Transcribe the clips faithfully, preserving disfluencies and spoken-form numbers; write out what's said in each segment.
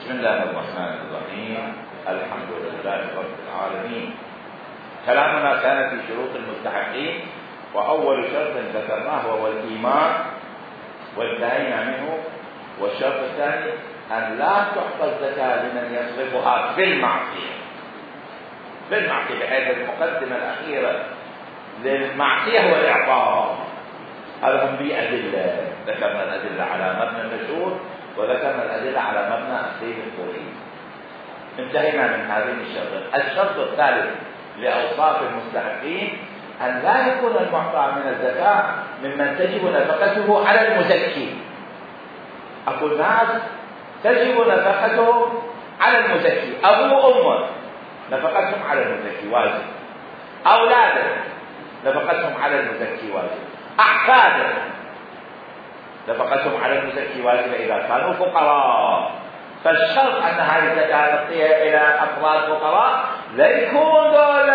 بسم الله الرحمن الرحيم. الحمد لله رب العالمين. كلامنا كان في شروط المستحقين، وأول شرط ذكرناه هو الإيمان وانتهينا منه. والشرط الثاني أن لا تعطى الزكاة لمن يصرفها في المعصية في المعصية بحيث المقدمة الأخيرة للمعصية هو الإعطاء. هذا هم بأدلة، ذكرنا الأدلة على مبنى النشور وذكرنا الأدلة على مبنى السيد الخوري. انتهينا من هذين الشرط. الشرط الثالث لأوصاف المستحقين أن لا يكون المعطى من الزكاة ممن تجب نفقته على المزكي. أقول ناس تجب نفقتهم على المزكي، أبو وأمه نفقتهم على المزكي واجب، أولاده نفقتهم على المزكي واجب، أحفاده نفقتهم على المزكي واجب إذا كانوا فقراء. فالشرط أن هذه الزكاة نعطيها إلى أفراد فقراء لا يكون دول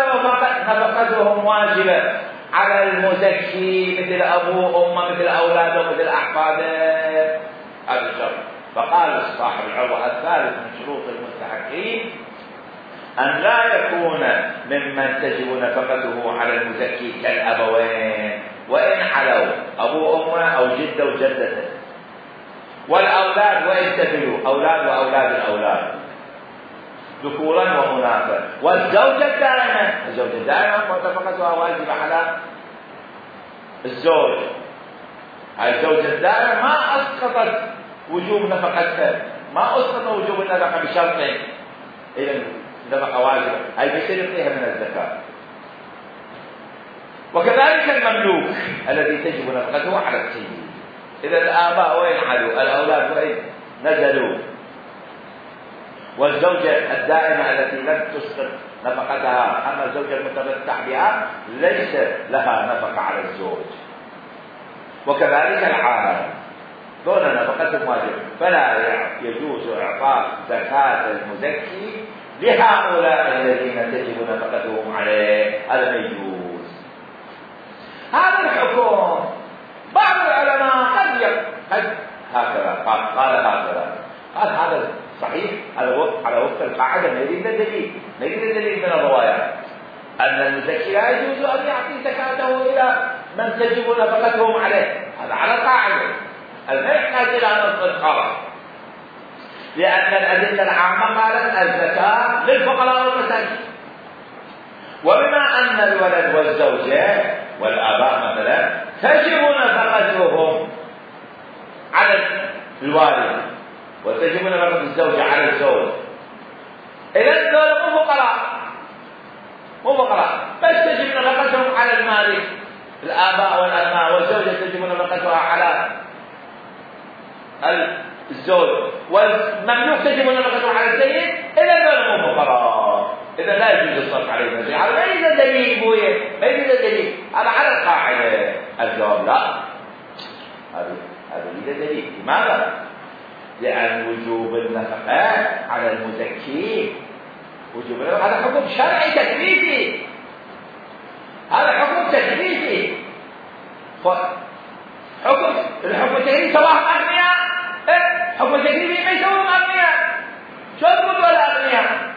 نفقتهم واجبة على المزكي مثل أبوه وأمه مثل أولاده مثل أحفاده. هذا الشرط. فقال صاحب العروة الثالث من شروط المستحقين أن لا يكون ممن تجب نفقته على المزكي كالأبوين وإن حلوا، أبو أمه أو جده وجدته، والأولاد وإن تبلوا، أولاد وأولاد الأولاد ذكورا وأناثا، والزوجة الدائمة. الزوجة الدائمة نفقتها واجبة على الزوج. الزوجة الدائمة ما أسقطت وجوب نفقتها، ما أسقط وجوب النفقة بشرطين، إذا نفقة واجبة، هي بيصير يعطيها من الزكاة. وكذلك المملوك الذي تجب نفقته على السيد. إذا الآباء وين حلوا، الأولاد وين نزلوا، والزوجة الدائمة التي لم تسقط نفقتها، أما الزوجة المتمتع بها ليس لها نفقة على الزوج. وكذلك العالم دون نفقتهم واجب، فلا يجوز إعطاء زكاة المزكي لهؤلاء الذين تجب نفقتهم عليه، هذا ما يجوز. هذا الحكم بعض العلماء قد قد هكذا قال قال هكذا قال هذا صحيح على وفق على وفق القاعده. نريد الدليل نريد الدليل من الروايات ان المزكي لا يجوز ان يعطي زكاته الى من تجب نفقتهم عليه. هذا على القاعده، ما يحتاج الى نص خاص، لان الادله العامه قالت الزكاه للفقراء والمساكين. وبما ان الولد والزوجه والآباء مثلا تجب نفقتهم على الوالد وتجب نفقة الزوجة على الزوج، إذا دول مو فقراء مو فقراء بس تجب نفقتهم على المالك. الآباء والأبناء والزوجة تجب نفقتها على الزوج، والمملوك تجب نفقته على السيد، إذا دول مو فقراء، إذا لا يجوز الصرف عليه الزكاة. هذا ما يوجد دليل بويه، ما يوجد دليل، هذا على القاعدة. الجواب لا، هذا هذا يوجد دليل. لماذا؟ لأن وجوب النفقة على المزكي وجوب النفقة هذا حكم شرعي تكليفي، هذا حكم تكليفي. حكم الحكم التكليفي سواء أغنياء، حكم التكليفي ما يسوون أغنياء، شو تقول ولا أغنياء؟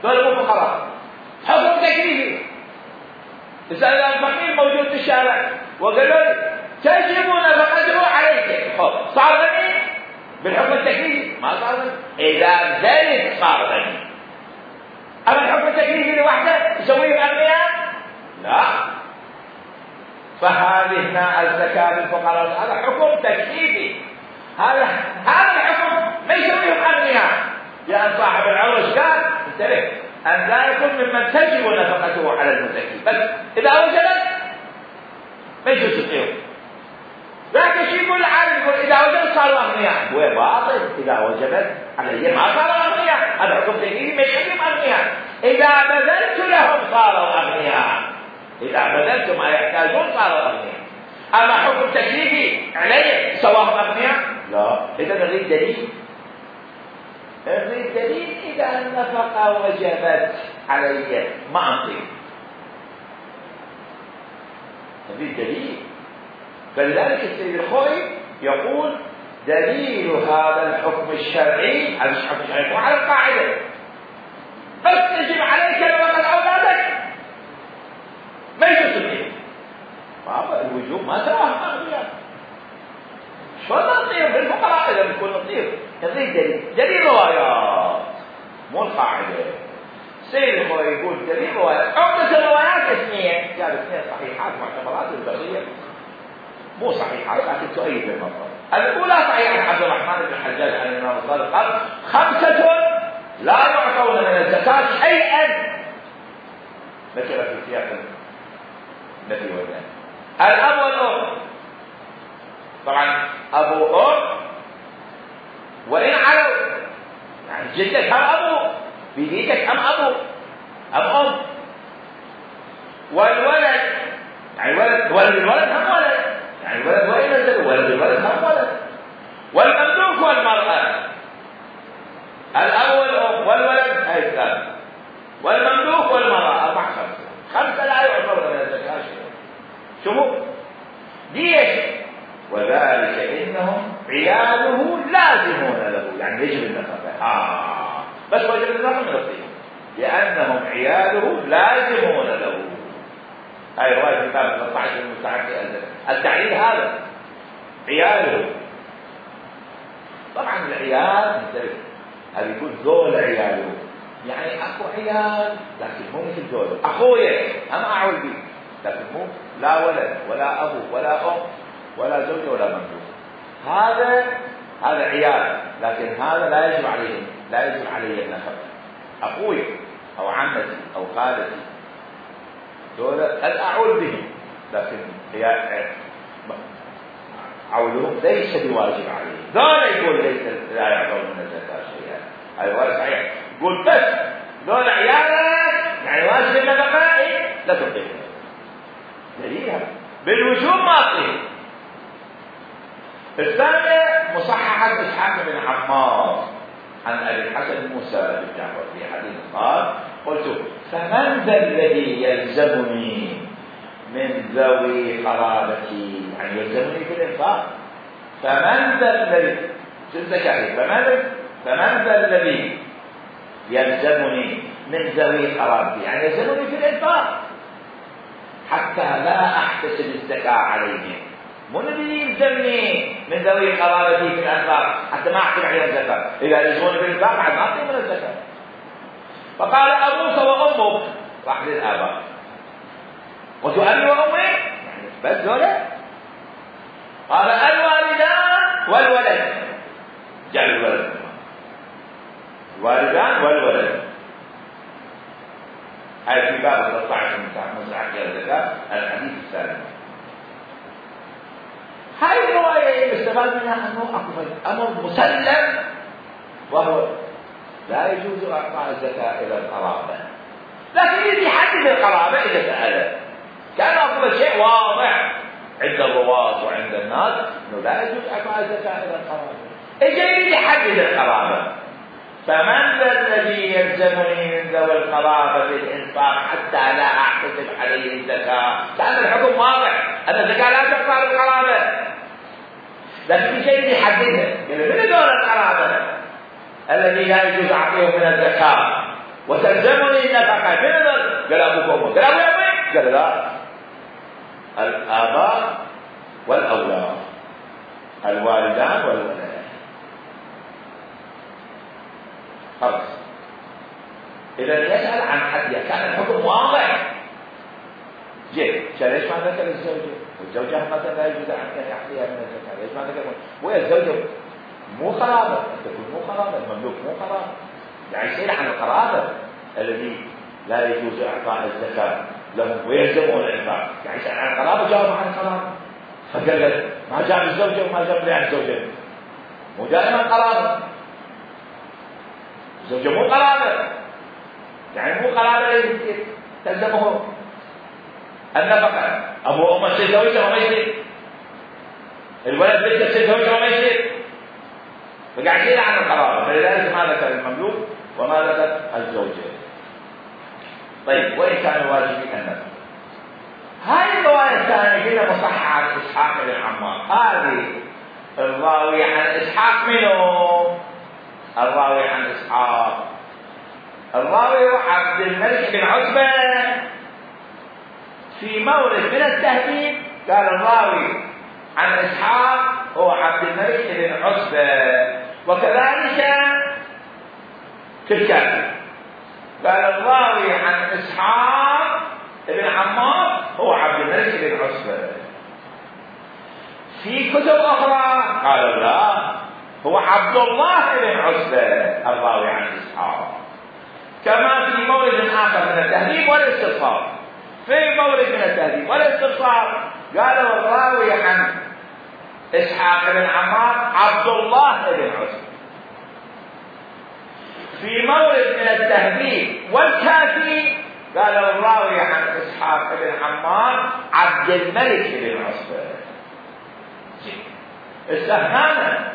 دول مو فقراء، حكم تكليفي. إذا الفقير موجود في الشارع وقالوا لي تجب نفقته عليك، صار غني بالحكم التكليفي؟ ما صار غني، إذا زاد صار غني. أما الحكم التكليفي لوحده يسويه أغنياء؟ لا. فهذه الزكاة للفقراء هذا حكم تكليفي، هذا هذا الحكم ما يسويهم أغنياء. لأن صاحب العرش قال انتبه أن لا يكون ممن تجب نفقته على المزكي، بس إذا وجبت ما يجوز يعطيهم. لكن شيء يقول العالم يقول إذا وجبت صاروا أغنياء، هو باطل. إذا وجبت علي ما صاروا أغنياء، هذا حكم تكليفي ما يخليهم أغنياء. إذا بذلت لهم صاروا أغنياء، إذا بذلت ما يحتاجون صاروا أغنياء. أما حكم تكليفي علي سواهم أغنياء؟ لا. إذا نريد دليل، نريد دليل. إذا النفقة وجبت علي ما أعطي، نريد دليل. فلذلك السيد الخوي يقول دليل هذا الحكم الشرعي، هذا الحكم الشرعي مو على القاعدة بس يجب عليك لوقت أولادك ما يجوز فيه. بابا الوجوب ما تراها أغنياء شو نطير بالفقراء إذا بنكون نطير يضيق دليل دليل روايات مو القاعدة. سيد هو يقول دليل روايات، عقدة الروايات اثنين، قال اثنين صحيحات معتبرات البقية مو صحيحات لكن تؤيد المطلب. الأولى صحيحة عبد الرحمن بن الحجاج عن الإمام الصادق قال خمسة لا يعطون من الزكاة شيئا، ذكر في سياق النبي والنبي. الأب والأم، طبعا أبو أم وإن علوا، يعني جدك هم أبو، بيديتك هم أبو أم أم. والولد يعني ولد ولد الولد هم ولد، يعني الولد وإن نزل ولد الولد هم ولد. والمملوك والمرأة، الأب والأم والولد هاي ثلاثة، والمملوك والمرأة أربع خمسة، خمسة لا يعتبر من الزكاة شيء. شوفوا ليش؟ وذلك إنهم عياله لازمون له، يعني يجب النفقة. آه بس وجب النفقة من الطيب لأنهم عياله لازمون له. هاي رواية كتاب ثلاثة عشر المستعد التعليل هذا عياله. طبعا العيال مختلف، هذا يقول ذول عياله، يعني اكو عيال لكن مو مثل ذول. اخويا انا اعول به لكن مو لا ولد ولا ابو ولا ام ولا زوجه ولا مملوك، هذا هذا عيال لكن هذا لا يجب عليه لا يجب عليه النفقه. اخوي او عمتي او خالتي دول قد اعول بهم لكن عولهم ليس بواجب عليه. ذولا يقول ليس لا يعطون من الزكاة شيئا، هذا هو صحيح. يقول بس ذول عيالك يعني واجب النفقة لا تعطيهم دليلها بالوجوب ما تعطيهم. الثانية مصححة إسحاق بن عمار عن أبي الحسن موسى بن جعفر في حديث قال قلت فمن ذا الذي يلزمني من ذوي قرابتي، يعني يلزمني في الإنفاق. فمن ذا الذي الزكاة فمن فمن ذا الذي يلزمني من ذوي قرابتي، يعني يلزمني في الإنفاق حتى لا أحتسب الزكاة عليهم. مو الذي يلزمني من ذوي قرابتي في الإنفاق حتى ما أحسب عليهم الزكاة، إذا يلزموني في الإنفاق بعد ما أعطيهم من الزكاة. فقال أبوك وأمك، راح للآباء، وتؤمن وأمي يعني بس ذولا. قال الوالدان والولد، جعل الولد الوالدان والولد. هاي في باب ثلاثة عشر من مساحة الزكاة الحديث الثالث. هاي الرواية يستفاد منها أنه أكو أمر مسلم وهو لا يجوز إعطاء الزكاة إلى القرابة، لكن يجي يحدد القرابة إذا سأله. كان أفضل شيء واضح عند الرواة وعند الناس أنه لا يجوز إعطاء الزكاة إلى القرابة. إجي يحدد القرابة. فمن ذا الذي يلزمني من ذوي القرابة الإنفاق حتى لا أحتسب عليه الزكاة؟ كان الحكم واضح أن الزكاة لا تقطع القرابة، لكن في شيء يحددها. قال من ذول القرابة الذي لا يجوز أعطيهم من الزكاة وتلزمني النفقة؟ من ذول؟ قال أبوك وأمك. قال أبوك وأمك؟ قال لا، الآباء والأولاد، الوالدان والولد. خلاص إذا يسأل عن حد كان الحكم واضح. جيد ليش ما ذكر الزوجة؟ والزوجة مثلا لا يجوز أن يعطيها من الزكاة، ليش ما ذكر؟ وهي الزوجة مو قرابة، تكون مو قرابة، المملوك مو قرابة، يعني يسأل عن القرابة الذي لا يجوز إعطاء الزكاة لهم ويلزمون الإنفاق، يعني يسأل عن القرابة جاوب عن القرابة. فقال لك ما جاب الزوجة وما جاب لي عن الزوجة، مو دائما قرابة، الزوجة مو قرابة، يعني مو قرابة تلزمه النفقة. أبو أم يصير زوجة وما يصير، الولد بنته يصير زوجة وما يصير، فقاعد يسأل عن القرابة، فلذلك ما ذكر المملوك وما ذكر الزوجة. طيب وإن كان الواجب النفقة. هذه الرواية الثانية هنا مصححة عن إسحاق بن عمار، هذه الراوي عن إسحاق منه الراوي عن إسحاق الراوي عبد الملك بن عتبة. في مورد من التهذيب قال الراوي عن إسحاق هو عبد الملك بن عتبة، وكذلك في الكافي قال الراوي عن إسحاق بن عمار هو عبد الملك بن عتبة. في كتب أخرى قال لا هو عبد الله بن عتبة الراوي عن إسحاق. كما في مورد آخر من التهذيب والاستبصار، في مورد من التهذيب والاستبصار قالوا الراوي عن إسحاق بن عمار عبد الله بن عتبة. في مورد من التهذيب والكافي قالوا الراوي عن إسحاق بن عمار عبد الملك بن عتبة. استهانة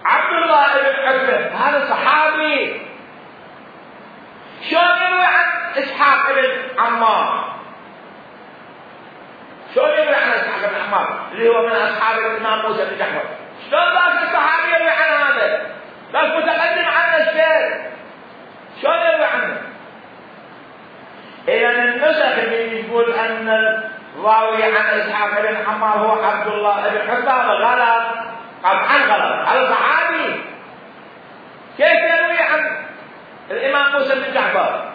عبد الله بن عتبة هذا صحابي، شلون يروي عن إسحاق بن عمار؟ شلون يروي عن إسحاق بن عمار اللي هو من أصحاب الإمام موسى بن جعفر؟ شلون ذاك الصحابي يروي عن هذا؟ ذاك متقدم عنه الشيء، شلون يروي عنه؟ إذا النسخ اللي يقول أن الراوي عن إسحاق بن عمار هو عبد الله بن عتبة غلط، طبعا غلط، هذا صحابي. كيف يروي عن الإمام موسى بن جعفر؟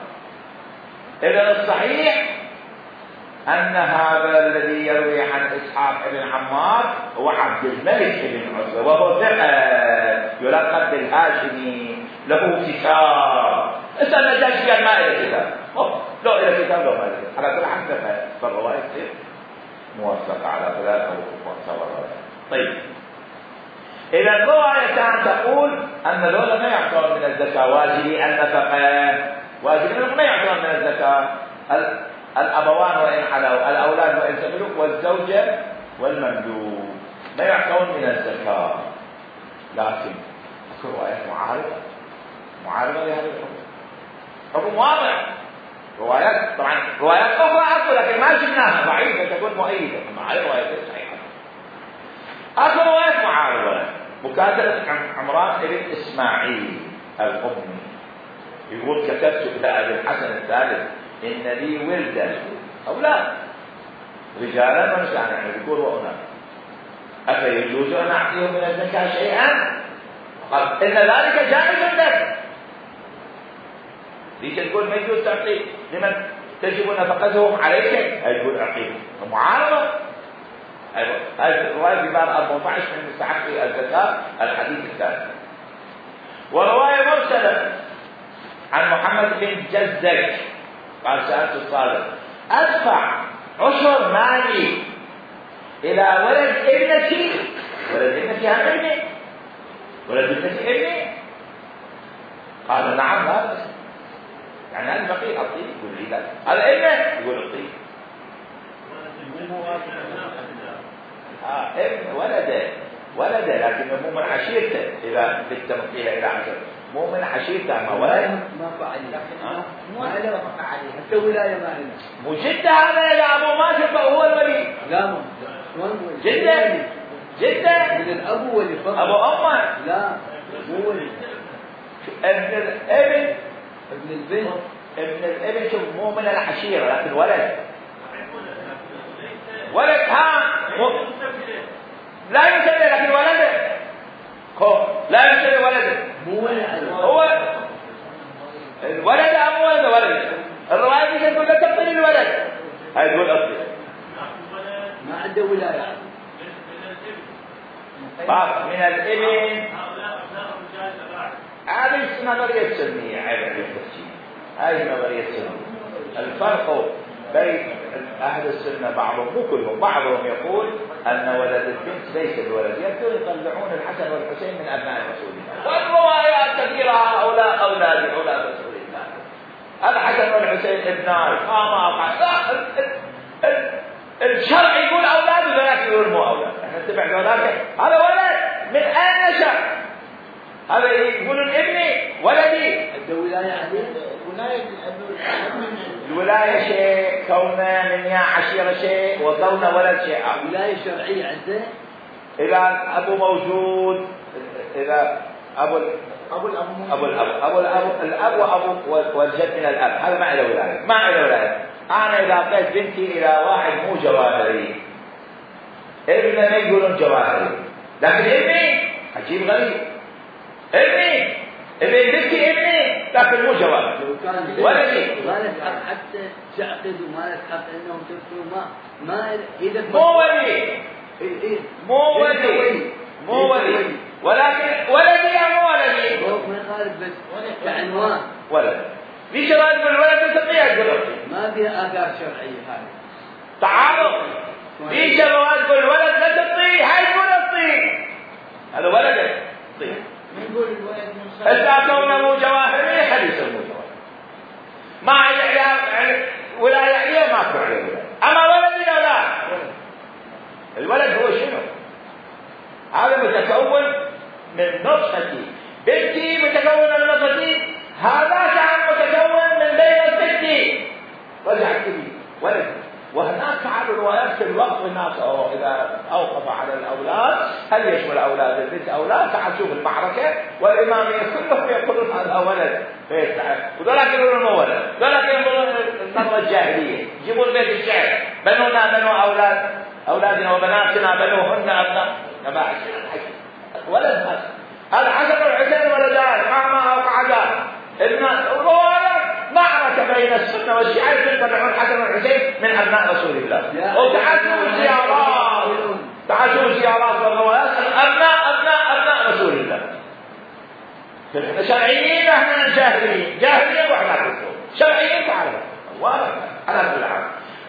إذا الصحيح أن هذا الذي يروي عن إسحاق بن عمار هو عبد الملك بن عتبة، وهو ثقة يلقب بالهاشمي، له كتاب. اسأل النجاشي قال ما إلى كتاب، لو إلى كتاب لو ما إلى كتاب، على كل حال ثقة، فالرواية تصير موثقة على ثلاثة ومعتبرة. طيب، إذا الروايتان تقول أن ذولا ما يعتبر من الزكاة، واجبي النفقة، واجبي ما يعتبر من الزكاة. الأبوان وإن علوا، الأولاد وإن سبلوا، والزوجة والمملوك ما يعتبرون من الزكاة. لكن في روايات معارضة معارضة لهذا الحكم، حكم واضح. روايات طبعا روايات أخرى أكو لكن ما شفناها، ضعيفة تكون مؤيدة، مع روايات صحيحة. أكو روايات معارضة، مكاتبة عمران بن إسماعيل الأمي يقول كتبت إلى أبي الحسن الثالث إن لي ولدا أولاد رجالا ونساء، يعني ذكور وأناث، أفيجوز أن أعطيهم من الزكاة شيئا؟ قال إن ذلك جائز لك. ليش تقول ما يجوز تعطي لمن تجب نفقتهم عليك؟ يقول أعطيهم. معارضة. أيوة، هذه الرواية في باب أربعة عشر من مستحق الزكاة الحديث الثالث. ورواية مرسلة عن محمد بن جزك قال سألت الصادق أدفع عشر مالي إلى ولد ابنتي، ولد ابنتي هم ابني، ولد ابنتي ابني؟ قال نعم لا بس، يعني هذا الفقير أعطيه، يقول لي لا، هذا ابنه يقول أعطيه. آه ابن ولده ولده لكن مو من عشيرته، إذا بالتمثيل إلى عشر مو من عشيرته، ما ولد ما فعل، لكن مو على ما فعل حتى ولاية ما لنا. مو جده هذا يا أبو ما شفه هو الولي؟ لا مو جده جده من الأب ولي فقط، أبو أمه لا مو ولي. ابن الابن ابن البنت ابن الابن شوف مو من العشيرة لكن ولد ولد ها لا يسمي لكن ولده هو لا يسمي ولده مو ولد، هو الولد أم ولد ولد. الرواية دي تقول لا تبطل الولد، هاي تقول أصلي ما عنده ولاية. باب من الابن هذه نظرية سلمية، عيب عليه التفسير، هذه نظرية سلمية. الفرق بين أهل السنة بعضهم مو كلهم، بعضهم يقول أن ولد البنت ليس بولد، يبدو يطلعون الحسن والحسين من أبناء رسول الله، والروايات كثيرة هؤلاء أولاد أولاد رسول الله، الحسن والحسين ابناء ما ما الشرع يقول أولاد وذاك يقول مو أولاد، احنا نتبع ذاك هذا ولد من أين نشأ؟ هذا يقولون ابني ولدي. الولاية عليه ولاية الولاية شيء، كونه من يا عشيرة شيء، وكونه ولد شيء آخر. ولاية شرعية عنده إذا أبو موجود، إذا أبو أبو الأب أبو الأب أبو الأب الأب وأبو والجد من الأب، هذا ما له ولاية، ما له ولاية. أنا إذا أعطيت بنتي إلى واحد مو جواهري، ابننا يقولون جواهري، لكن ابني عجيب غريب، ابني ابني بنتي ابني لكن مو جواهري. ولدي ما لك حق حتى تعقد وما لك حق إنهم تكتبوا ما ما إذا مو ولي مو ولي مو ولي ولكن ولدي يا مو ولدي هو ما يخالف بس كعنوان ولد. في شرائط بالولد تستطيع تقول ما فيها آثار شرعية هذه تعارض. في شرائط بالولد لا تطيع، هاي تقول تطيع، هذا ولد تطيع. نقول الولد من إذا كونه مو جواهري حديث مو جواهري ما يعني ولاية عليه ما أكو عليه ولاية. أما ولدي لا لا، الولد هو شنو؟ هذا متكون من نطفتي، بنتي متكون من نطفتي، هذا كان متكون من بين ستي رجع كبير ولد. وهناك على الروايات في الوقت الناس إذا أوقف على الأولاد هل يشمل أولاد البنت أولاد، تعال شوف المعركة والإمامية كلهم يقولون هذا ولد، وذلك يقولون مو ولد، ذلك يقولون النظرة الجاهلية، يجيبون بيت الشعر بنونا بنو أولاد أولادنا وبناتنا بنوهن أبناء نباع ولد. هذا هذا حسن الحسين ولدان مع ما أوقعدان ابن ولد. معركة بين السنة والشيعة يتبعون حسن الحسين من أبناء رسول الله، وتعاشوا زيارات تعاشوا زيارات والروايات أبناء أبناء أبناء رسول الله. احنا شرعيين احنا جاهليين، جاهليين واحنا كفر، شرعيين تعرفوا واضح على كل حال.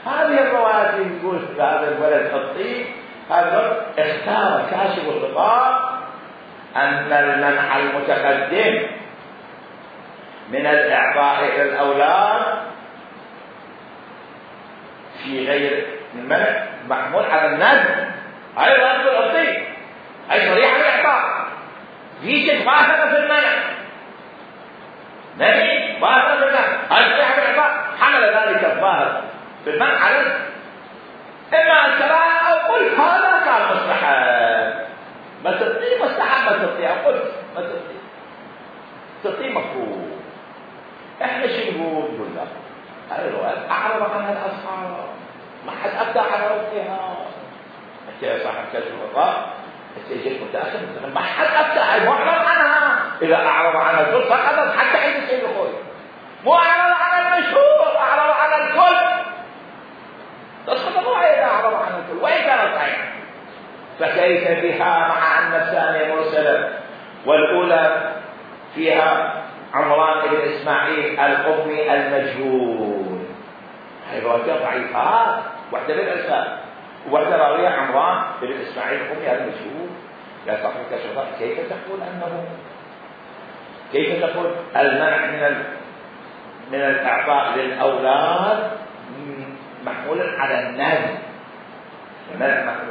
هذه الروايات يقول هذا الولد الطيب هذا اختار كاشف الغطاء أن المنح المتقدم من الإعطاء إلى الأولاد في غير المنع محمول على الندب، هاي رد الطيب، هاي صريحة الإعطاء، في شيء ظاهرة في المنع، نبي ظاهرة في المنع، هاي صريحة الإعطاء، حمل ذلك الظاهر في المنع على إما الكراهة أو قل هذا كان مستحب، ما تطيع مستحب ما تطيع، قل ما تطيع تطيع مفهوم. احنا شو نقول؟ نقول لا، هذه الروايات اعرض عنها الاصحاب، ما حد ابدع على وقتها. انت يا صاحب كشف الغطاء انت جيت متاخر، ما حد ابدع معرض عنها. اذا اعرض عنها الكل سقطت حتى عند السيد الخوي، مو اعرض عن المشهور، اعرض عن الكل تسقط الروايه اذا اعرض عن الكل وان كانت صحيحه. فكيف بها مع ان الثانيه مرسله والاولى فيها عمران بن إسماعيل القطني المجهول؟ هاي روايتين ضعيفات، واحدة بالإرسال وواحدة راوية عمران بن إسماعيل القطني المجهول. يا صاحب الكشف كيف تقول أنه كيف تقول المنع من ال... من الإعطاء للأولاد محمولا على النهي؟ المنع محمول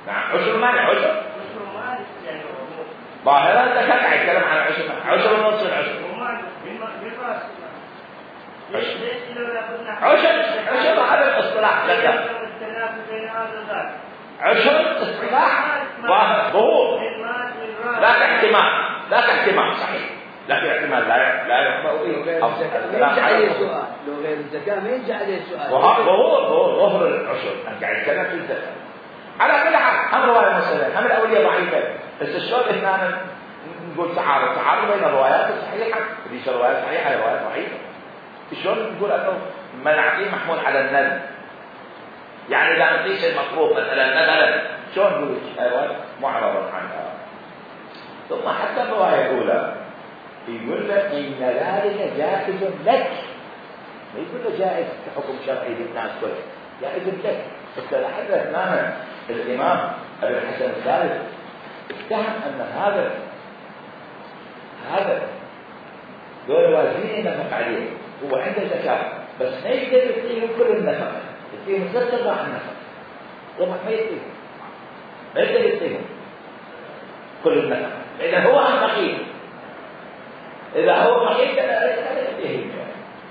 نعم عشر مانع عشر ظاهرا انت كان قاعد يتكلم عن عشر عشر ونص العشر عشر عشر هذا الاصطلاح لك عشر اصطلاح ظهور لا احتمال لا احتمال صحيح لكن احتمال لا لا يحمل به افضل يرجع عليه سؤال لو غير الزكاه ما يرجع عليه سؤال ظهور ظهور ظهر العشر انت قاعد تتكلم في الزكاه على كل حال. هم روايه مساله هم الاوليه ضعيفه بس شلون احنا نقول تعارض تعارض بين الروايات الصحيحه ليش روايات صحيحه روايات ضعيفه؟ شلون نقول انه منعتين محمول على الندب؟ يعني اذا نقيس المطلوب مثلا مثلا شلون نقول روايه معرضه عنها؟ ثم حتى الروايه الاولى يقول لك ان ذلك جائز لك، ما يقول له جائز كحكم شرعي للناس كلهم، جائز لك. استلحظ هنا الامام ابي الحسن الثالث اتهم ان هذا هذا دول وازين نفق عليه هو عنده زكاه بس ما يقدر يعطيهم كل النفقه، يعطيهم ست ارباع النفقه طبعا ما يعطيهم ما يقدر يعطيهم كل النفقه اذا هو عن فقير، اذا هو فقير كذا يعطيهم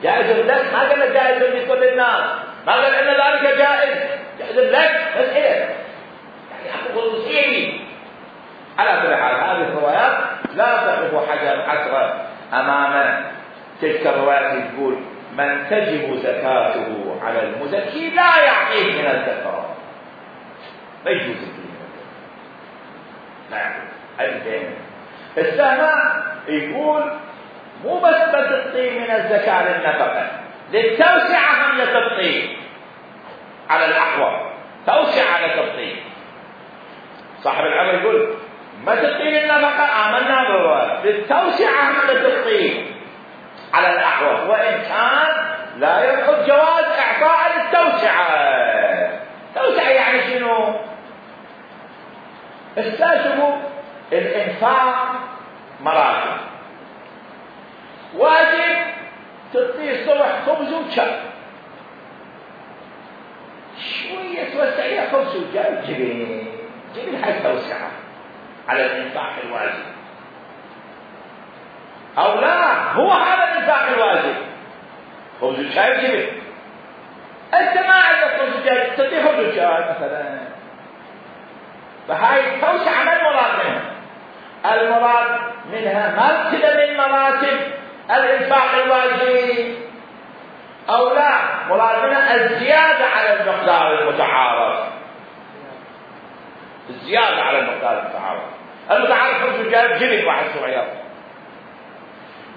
جائز لك. ما قال جائز لكل الناس، ما قال ان ذلك جائز يأذن لك مسألة يعني أخذ خصوصية. على كل حال هذه الروايات لا تقف حجر حسرة أمام تلك الروايات تقول من تجب زكاته على المزكي لا يعطيه من الزكاة، ما يجوز الدين. نعم الدين السهمة يقول مو بس بتعطي من الزكاة للنفقة، للتوسعة هم لتبطي على الأحوال، توسع على تبطي. صاحب العمل يقول ما تبطي للنفقة آمنا بالرواية، للتوسعة هم لتبطي على الأحوال، وإن كان لا يدخل جواز إعطاء للتوسعة. توسعة يعني شنو؟ استشفوا الإنفاق مراتب، واجب تعطيه الصبح خبز وشاي، شوية توسعية خبز وشاي جبين جبين حاجة توسعة على الإنفاق الواجب، أو لا هو هذا الإنفاق الواجب خبز وشاي جبين. أنت ما عندك خبز وشاي تعطيه خبز وشاي مثلا، فهاي توسعة ما المراد منها؟ المراد منها مرتبة من مراتب الإنفاق الواجب، أو لا مراد منها الزيادة على المقدار المتعارف، الزيادة على المقدار المتعارف. المتعارف خمس وجاب جبن واحد صغير،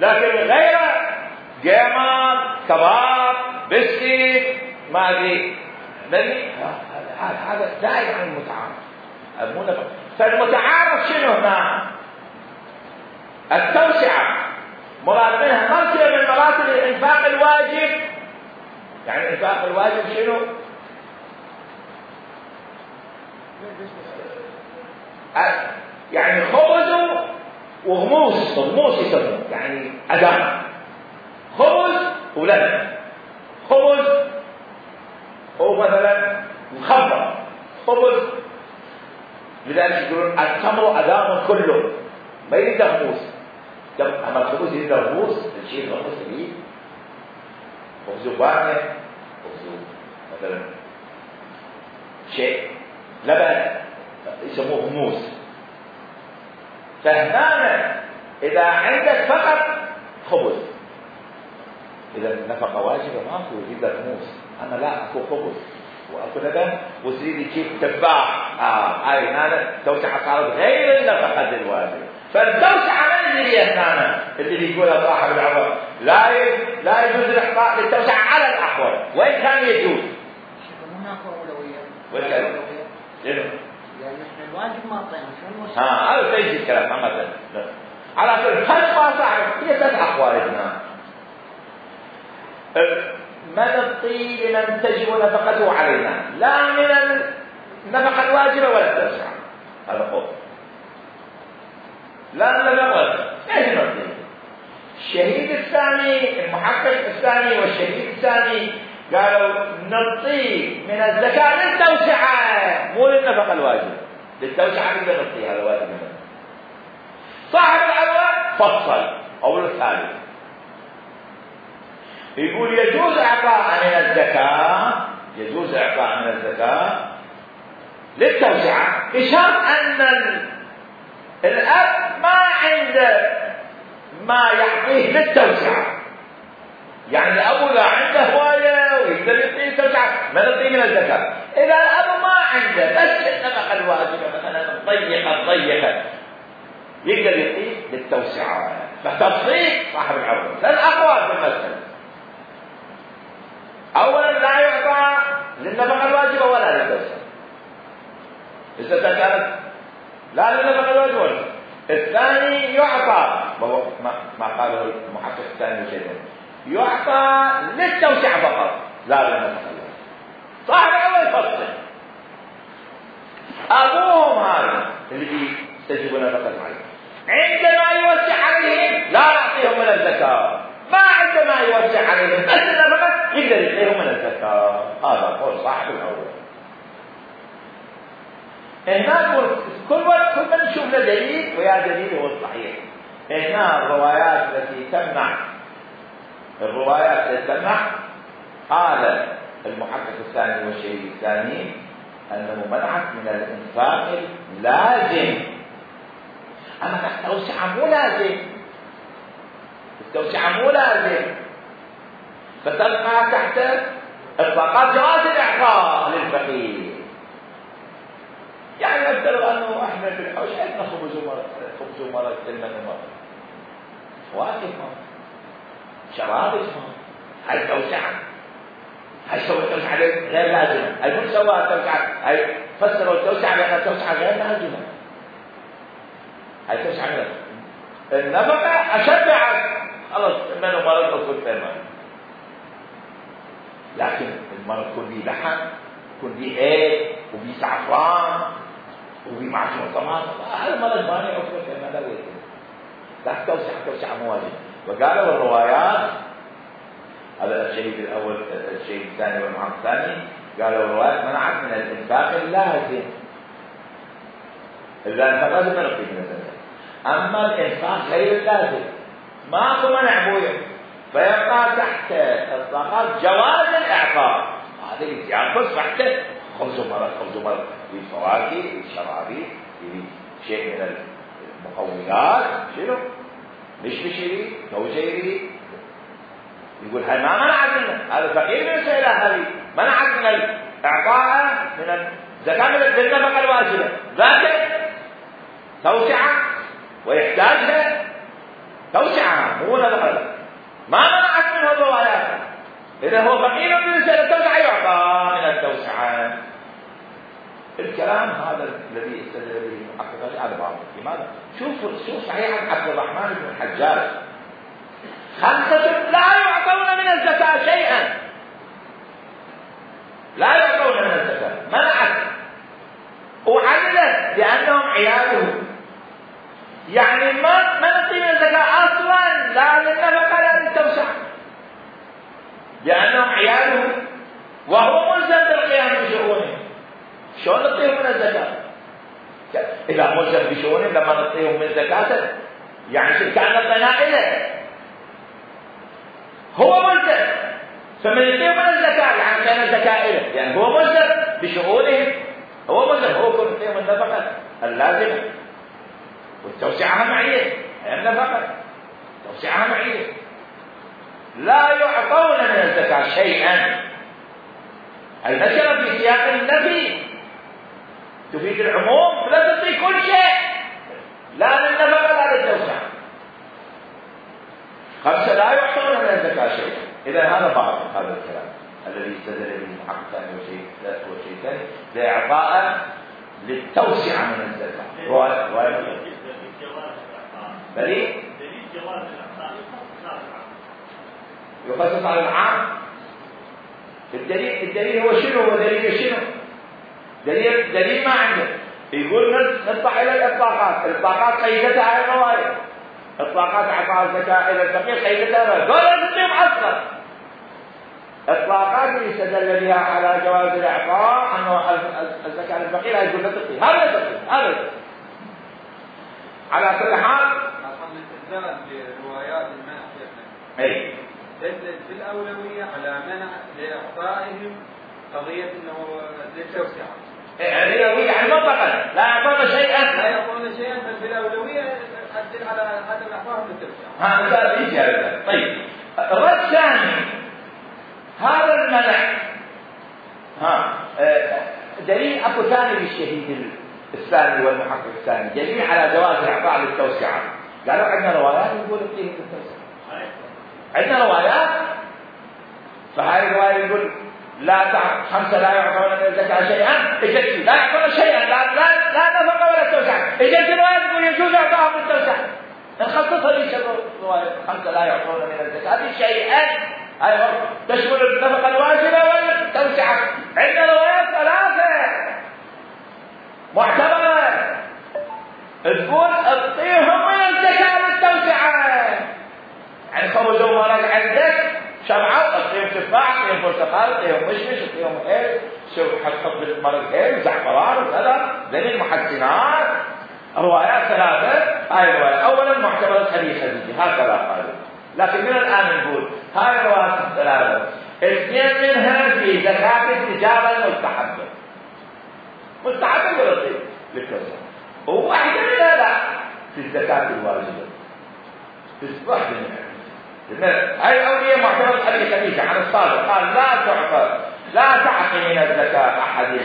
لكن غيره جامع كباب بسكيت ما أدري هذا هذا زائد عن المتعارف. فالمتعارف شنو هنا؟ التوسعة مراد منها مرتبة من مراتب الإنفاق الواجب. يعني الإنفاق الواجب شنو؟ يعني خبز وغموس، غموس يسمونه يعني أدام، خبز ولبن، خبز ومثلا مخبر خبز، لذلك يقولون التمر أدام كله، ما يريد غموس. أما الخبز يريد غموس، الشيء غموس يريد خبز بانية، خبز مثلا شيء لبن يسموه غموس. فهنا إذا عندك فقط خبز، إذا النفقة واجبة ماكو يريد غموس. أنا لا أكو خبز وأكو لبن وتريد تجيب تفاح، آه هاي هنا توسعة صارت غير النفقة الواجب. فالتوسعة من اللي هنا اللي يقولها صاحب العمر لا لا يجوز الإحقاق للتوسعة على الأحوال، وإن كان يجوز. هناك أولوية. وين كان؟ لأنه يعني إحنا الواجب ما أعطينا شو المسألة؟ ها هذا تيجي الكلام ما مثلا. على كل خلف ما صاحب هي ثلاث أحوال هنا. من الطيب لمن تجب نفقته علينا، لا من النفقة الواجبة ولا التوسعة. هذا قول. لا من النفقة. ايش الطيب؟ الشهيد الثاني، المحقق الثاني والشهيد الثاني قالوا نعطيه من الزكاة للتوسعة مو للنفقة الواجبة. للتوسعة نقدر نعطيه هذا واجب منه. صاحب العلوة فصل أول الثالث يقول يجوز إعطاء من الزكاة، يجوز إعطاء من الزكاة للتوسعة بشرط أن الأب ما عنده ما يعطيه للتوسعة. يعني الأب لا عنده هواية ويقدر يعطيه التوسعة ما نعطيه من الزكاة. إذا الأب ما عنده بس النفقة الواجبة مثلا ضيقة ضيقة يقدر يعطيه للتوسعة. فتفصيل صاحب العروض لن أقوى في المسألة. أولا لا يعطى للنفقة الواجبة ولا للتوسعة إذا كانت لا للنفقة الواجبة ولا. الثاني يعطى ما, ما قاله المحقق الثاني شيء يعطى للتوسعة فقط لا للنفقة الواجبة. صاحب العروض يفصل أبوهم هذا اللي يستجيبون نفقة الواجبة عندما يوسع عليهم لا يعطيهم من الزكاة، ما عندما يوسع عليهم بس النفقة يقدر يعطيهم من الزكاة. هذا قول صاحب الأول. هنا كل وقت كل من نشوف له دليل ويا دليل هو الصحيح. هنا الروايات التي تمنع الروايات التي تمنع هذا المحقق الثاني والشهيد الثاني أنه منعت من الإنفاق اللازم، أما التوسعة مو لازم، التوسعة مو لازم، فتبقى تحت إطلاقات جواز الإعطاء للفقير. يعني افترض أنه إحنا في الحوش عندنا خبز ومرق، خبز ومرق لمن ومرق، فواكه مرق، شراب مرق، هاي توسعة، هاي سوى التوسعة غير لازمة، هاي مو سوى التوسعة، هاي فسروا التوسعة بأن التوسعة غير لازمة، هاي توسعة غير النفقة أشبعت خلص من ومرق وكل ثمن، لكن المرض يكون بيه لحم، يكون بيه ايه، وبيه زعفران، وبيه معجون طماطم، هذا المرض ما يعرفه كما لا يمكن. لا توسع توسع مواجهه. وقالوا الروايات، هذا الشهيد الاول الشهيد الثاني والمعارض الثاني، قالوا الروايات منعت من الانفاق اللازم. الانفاق لازم ما نقيم من الزكاه، اما الانفاق غير اللازم ماكو منع بويه، فيبقى تحت اطلاقات جواز الاعطاء. هذا ينقص تحت خبز ومرق، خبز ومرق بالفواكه بالشرابي بشيء من المقومات، شنو؟ مش بشيري توجيري، يقول هاي ما منعت منه، هذا فقير من السيلة، هذه منعت من الاعطاء من الزكاة من النفقة الواجبة، ذاك توسعة ويحتاجها توسعة مو نفقة، ما منعت منه الروايات. إذا هو فقير من التوسعة يعطى من التوسعة. الكلام هذا الذي استدل به المحقق على بعض. لماذا؟ شوف شوف صحيح عن عبد الرحمن بن الحجاج، خمسة لا يعطون من الزكاة شيئا، لا يعطون من الزكاة، منعت وعدلت لأنهم عياله، يعني ما ما نعطي من الزكاة أصلا، لا للنفقة لا للتوسعة، لأنهم عياله وهو ملزم بالقيام بشؤونه. شلون نعطيهم من الزكاة؟ إذا ملزم بشؤونه لما نعطيهم من زكاة يعني كأن البناء له، هو ملزم، فمن يعطيهم من الزكاة يعني كان الزكاة له، يعني هو ملزم بشؤونهم، هو ملزم، هو كل يعطيهم النفقة اللازمة والتوسعة معية، هي النفقة توسعها معية. لا يعطون من الزكاة شيئا، أي نشر في سياق النفي تفيد العموم، فلا تعطي كل شيء، لا للنفقة لا للتوسعة. خمسة لا يعطون من الزكاة شيئا. إذا هذا بعض هذا الكلام الذي استدل به المحقق الثاني والشيء الثاني لإعطاء للتوسعة من الزكاة. رواية دليل جواز الإعطاء يخصص على العام. الدليل الدليل هو شنو؟ هو دليل شنو؟ دليل دليل ما عنده. يقول نطلع الى الاطلاقات، الاطلاقات قيدتها هاي الروايه، اطلاقات اعطاء الزكاه الى الفقير قيدتها، قال تقيم اصلا. اطلاقات اللي استدل بها على جواز الاعطاء انه الزكاه للفقير هاي يقول لا تقي، هذا تقي، هذا على كل حال الاستدلال بروايات المنع اي دلت في الاولويه على منع لاعطائهم قضيه انه للتوسعه. الأولوية يعني مطلقا لا يعطون شيئا، لا يعطون شيئا، بل في الاولويه تدل على عدم اعطائهم للتوسعه. هذا يجي هذا. طيب الرد الثاني هذا المنع، ها دليل اكو ثاني للشهيد الثاني والمحقق الثاني، دليل على جواز الاعطاء للتوسعه. قالوا عندنا روايات يقول اعطيه للتوسعه، عندنا روايات، فهاي الروايه يقول لا تع... خمسه لا يعطون من الزكاه شيئا، اجت لا يعطون شيئا، لا لا لا نفقه ولا توسعه، اجت الروايه تقول يجوز اعطائهم التوسعه، نخصصها ليش الروايه خمسه لا يعطون من الزكاه شيئا، هاي تشمل النفقه الواجبه والتوسعه. عندنا روايات ثلاثه معتبره تقول اعطيهم من الزكاه للتوسعه، يعني خبز ومرق عندك شرعه، اعطيهم تفاح، اعطيهم برتقال، اعطيهم مشمش، اعطيهم هيل، شو حط بالمرق هيل زعفران وكذا، ذني المحسنات. روايات ثلاثه، هاي الروايه اولا معتبره حديث خديجه هكذا قالوا، لكن من الان نقول هاي الروايات الثلاثه اثنين منها في زكاة التجارة المستحبة، مستحبة ولا طيب للكسر، وواحدة منها لا في الزكاة الواجبة، في واحدة منها. هاي الأولية معتبرة أبي خديجة عن الصادق قال لا تعطى لا تعطي من الزكاة أحد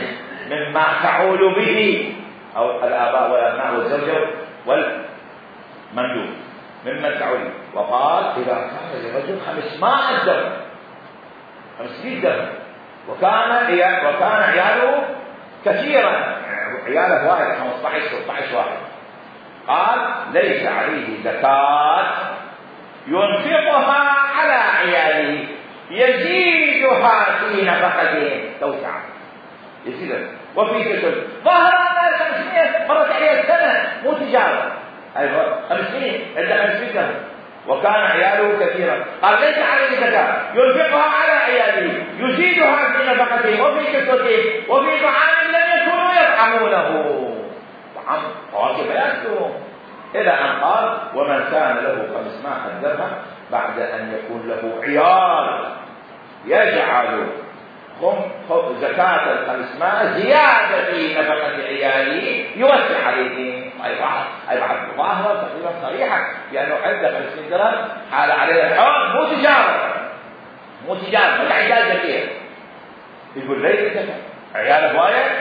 مما تعول به، أو الآباء والأبناء والزوجة والمندوب ممن تعول. وقال إذا كان لرجل خمسمائة درهم خمسمائة درهم وكان وكان عياله كثيرا، عياله واحد خمسة عشر ستة عشر واحد، قال ليس عليه زكاة ينفقها على عياله يزيدها في نفقته توسعا يزيدها. وفي كتب ظهر أن خمسمائة مرت عليه السنة مو تجارة، أيوة خمسمائة عند خمسمائة درهم وكان عياله كثيرا، قال ليس عليه زكاة ينفقها على عياله يزيدها في نفقته وفي كسوته وفي طعام لم يكونوا يطعمونه، طعام فواكه يأكلون، إلى أن قال ومن كان له خمسمائة درهم بعد أن يكون له عيال يجعل زكاة الخمسمائة زيادة في نفقة عياله يوسع عليهم. أي بعض أي بعض ظاهرة تقريبا صريحة لأنه عنده خمسين درهم حال عليه الحول مو تجارة مو تجارة ولا عيال فيها، يقول ليس زكاة عياله وايد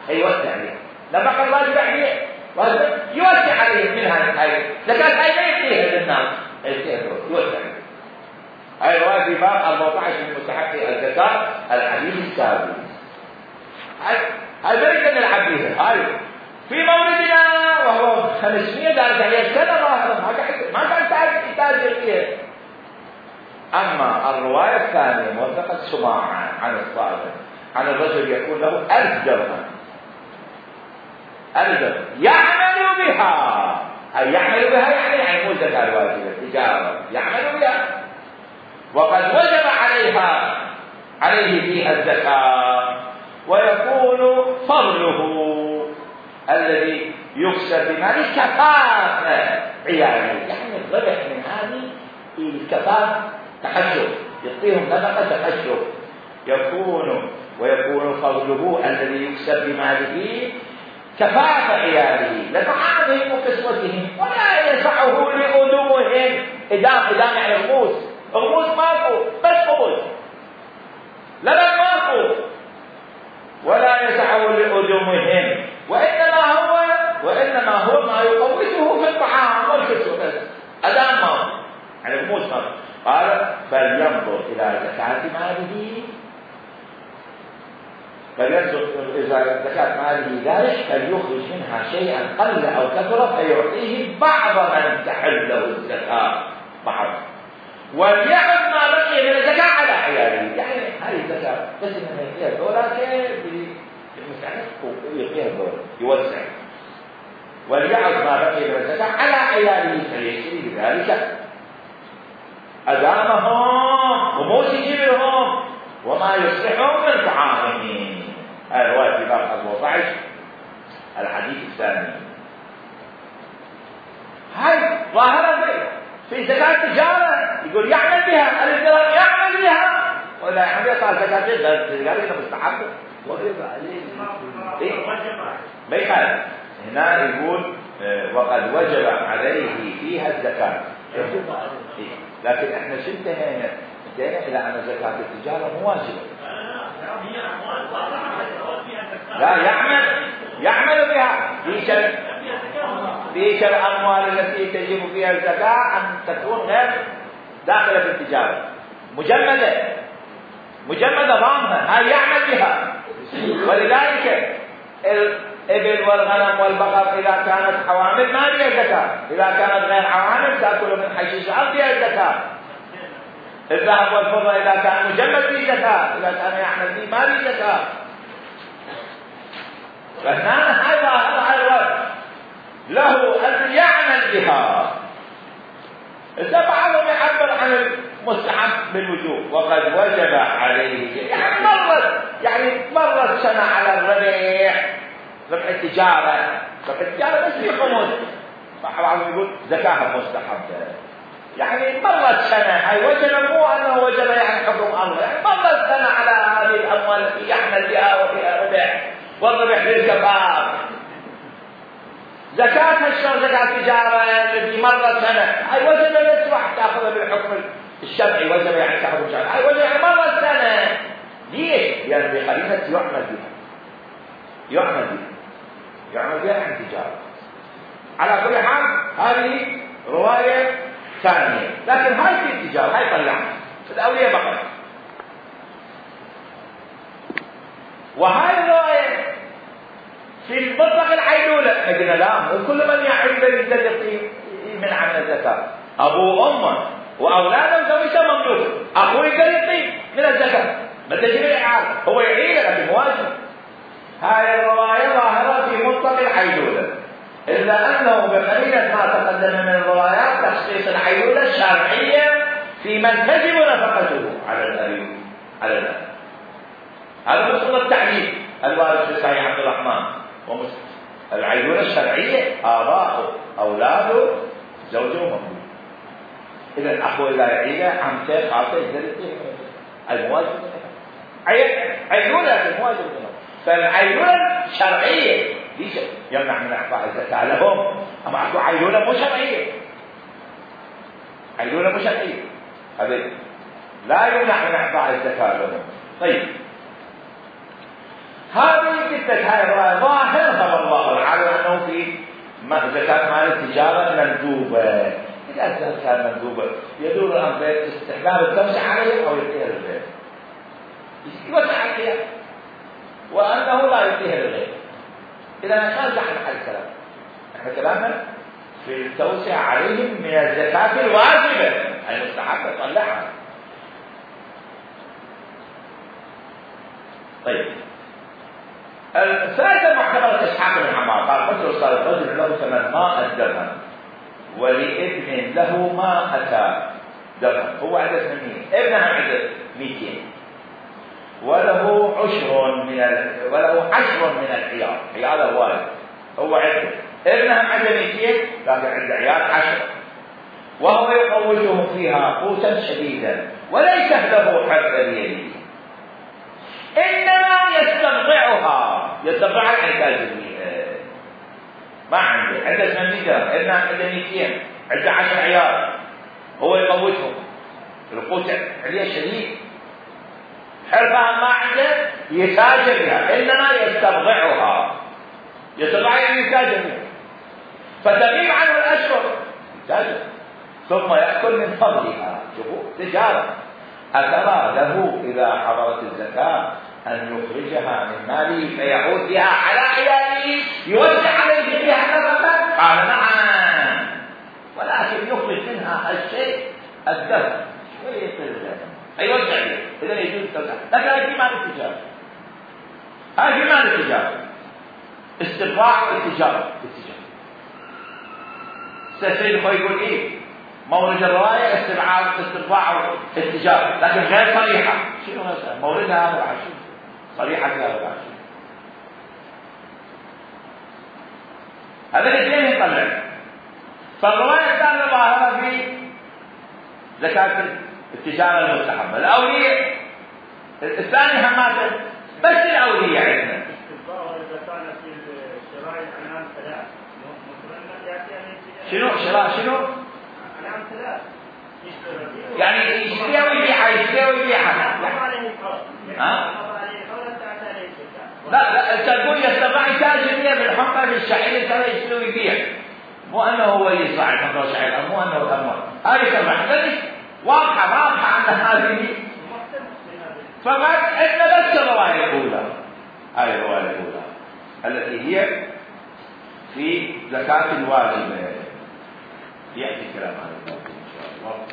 يوسع عليه نفقة الواجب عليه يوسع عليه منها هاي زكاة هاي ما يكفيها للناس يوسع عليه. هاي الرواية في باب أربعة عشر من مستحق الزكاة الحديث السابق. هاي ما يمكن نلعب بيها. هاي في مولدنا وهو خمسمائة درجة هي السنة ما كان تاجر فيها. أما الرواية الثانية موثقة سماعا عن الصادق عن الرجل يكون له ألف درهم ألف درهم يعمل بها، أي يعمل بها يعني يعني مو زكاة الواجبة تجارة يعمل بها، وقد وجب عليها عليه فيها الزكاة، ويكون فضله الذي يكسب بماله كفاف عياله، يعني الربح من هذه الكفاف تحشر يعطيهم نفقة تحشر، يكون ويكون فضله الذي يكسب بماله كفاف عياله لطعامهم وكسوتهم ولا يسعه لأدوهم. إدام إدام يعني الغوث، الغوث ماكو بس خبز لبن ماكو ولا يسعه لأدومهم، وإنما هو وإنما هو ما يقوته في الطعام والكسوة بس أدام ماكو يعني الغوث ماكو. قال فلينظر إلى زكاة ماله فلينظر إذا زكاة ماله ذلك فليخرج منها شيئا قل أو كثر فيعطيه بعض من تحل له الزكاة بعض، وليعد ما بقي من الزكاة على عياله. يعني هذه الزكاة بس إنما يعطيها الدولار بالمساعدة يعطيها الدولار يوسع، وليعد ما بقي من الزكاة على عياله فليشتري بذلك أدامهم وموت جبلهم وما يصلحهم من طعامهم. هذا رواية في باب أربعة عشر الحديث الثاني. هاي ظاهرة في زكاة التجارة يقول يعمل بها الإنسان يعمل بها ولا يعمل بها زكاة التجارة مستحب وجب عليه إيه؟ ما يخالف هنا يقول وقد وجب عليه فيها الزكاة يجب عليه، لكن احنا شو انتهينا؟ انتهينا الى ان زكاة التجارة مو واجبة. لا يعمل يعمل بها ليش الاموال التي تجب فيها الزكاة ان تكون غير داخلة في التجارة مجمدة مجمدة ضامنة هاي يعمل بها. ولذلك الإبل والغنم والبقر إذا كانت حوامل ما فيها زكاة، إذا كانت غير حوامل تأكل من حشيش الأرض فيها الزكاة. الذهب والفضة إذا كان مجمد فيه زكاة، إذا كان يعمل فيه ما فيه زكاة. فهنا هذا هذا له أن يعمل بها. إذا بعضهم يعبر عن المستحب بالوجوب وقد وجب عليه، يعني مرت يعني مرت سنة على الربيع ربح التجارة ربح التجارة بس في خمس، بعضهم يقول زكاة مستحبة يعني مرت سنة، هاي وجب مو أنه وجب يعني حكم الله، يعني مرت سنة على هذه الأموال التي يعمل بها وفيها ربح، والربح للكفار. زكاة الشر زكاة التجارة التي مرت سنة، هاي وجب لا تروح تأخذها بالحكم الشرعي، وجب يعني تأخذ الشرعي، هاي وجب يعني مرت سنة. ليش؟ يعني بقرينة يعمل بها، يعمل بها، يعمل بها عن تجارة. على كل حال هذه رواية ثانية، لكن هاي في التجارة، هاي طلعنا الأولياء بقى. وهاي الرواية في المطلق العيلولة، قلنا لا، وكل من يعيل يقدر يمنع من الزكاة، أبوه وأمه وأولاده وزوجته مملوك، أخوه يقدر يطيب من الزكاة، ما تجري الإعادة، هو يعيله لكن واجب. هاي الرواية ظاهرة في مطلق العيلولة، إلا أنه بقرينة ما تقدم من الروايات تخصيص العيلولة الشرعية في من تجب نفقته على الأبي على الأب. هذا مصدر التعليم الوارد في صحيح عبد الرحمن ومسلم. العيلولة الشرعية آباؤه أولاده زوجه ومملوك. إذا الأخوة إذا يعيله عمته خالته يقدر المواجب عيلولة المواجب. فالعيلولة شرعية ليش يمنع من إعطاء الزكاة لهم؟ أما أكو عيلولة مو شرعية، عيلولة مو شرعية، هذا لا يمنع من إعطاء الزكاة لهم. طيب هذه جدة هاي الرواية ظاهرها والله العالم أنه في زكاة مال التجارة مندوبة. إذا كان مندوبة يدور الأمر بين استحباب التوسع عليه أو يديها للغير، يوسع عليها وأنه لا يديها للغير. إذا نرجع على الكلام، احنا كلامنا في التوسع عليهم من الزكاة الواجبة المستحبة طلعها. طيب الثالثة معتبرة إسحاق بن حمار قال قتل صار رجل له ثمن ماء الدرهم ولابن له ما أتى درهم، هو عنده ثمانين، ابنه عنده مئتين، وله عشر من ال... وله عشر من العيال، عياله واحد هو عنده، ابنه عنده مئتين لكن عنده عيال عشر، وهو يقوتهم فيها قوتا شديدا وليس له حد بيده، إنما يسترضعها، يسترضعها العتاج فيها، ما عنده، عنده ثمانين درهم، ابنه عنده مئتين، عنده عشر عيال، هو يقوتهم، القوت عليه شديد، حرفها ما عنده يتاجر بها، إنما يسترضعها، يسترضعها يعني يتاجر بها، فتغيب عنه الأشهر يتاجر ثم يأكل من فضلها. شوفوا تجارة. أترى له إذا حضرت الزكاة أن يخرجها من ماله فيعود بها على عياله يوزع عليه بها نفقة؟ قال نعم، ولكن يخرج منها الشيء الدفع شوية الزكاة يوزع عليه، إذا يجوز التوزيع، لكن هذه في مال التجارة، هذه في مال التجارة، استرضاع التجارة التجارة. سيد هو يقول إيه؟ مورد الرواية استرضاع استرضاع التجارة، لكن غير صريحة. شنو هذا؟ موردها هذا العشر، صريحة هذا العشر. هذا الاثنين يطلع. فالرواية الثانية ظاهرة في زكاة التجارة المستحبة. الأولية الثاني هماته بس الأولية عندنا. استرضاع الزكاة في شراء الأنعام ثلاث. شنو شراء شنو؟ يعني يشتريها ويبيعها يشتريها ويبيعها. ها؟ لا لا تقول يستطيع تاجر بالحمى في الشعير ترى يشتري ويبيع، مو انه هو يصنع الحمى والشعير، مو انه تمر. هذه تبع واضحه واضحه عند هذه. فقط احنا بس الروايه الاولى، هذه الروايه الاولى التي هي في زكاه الواجبه. يأتي كلام هذا إن شاء الله.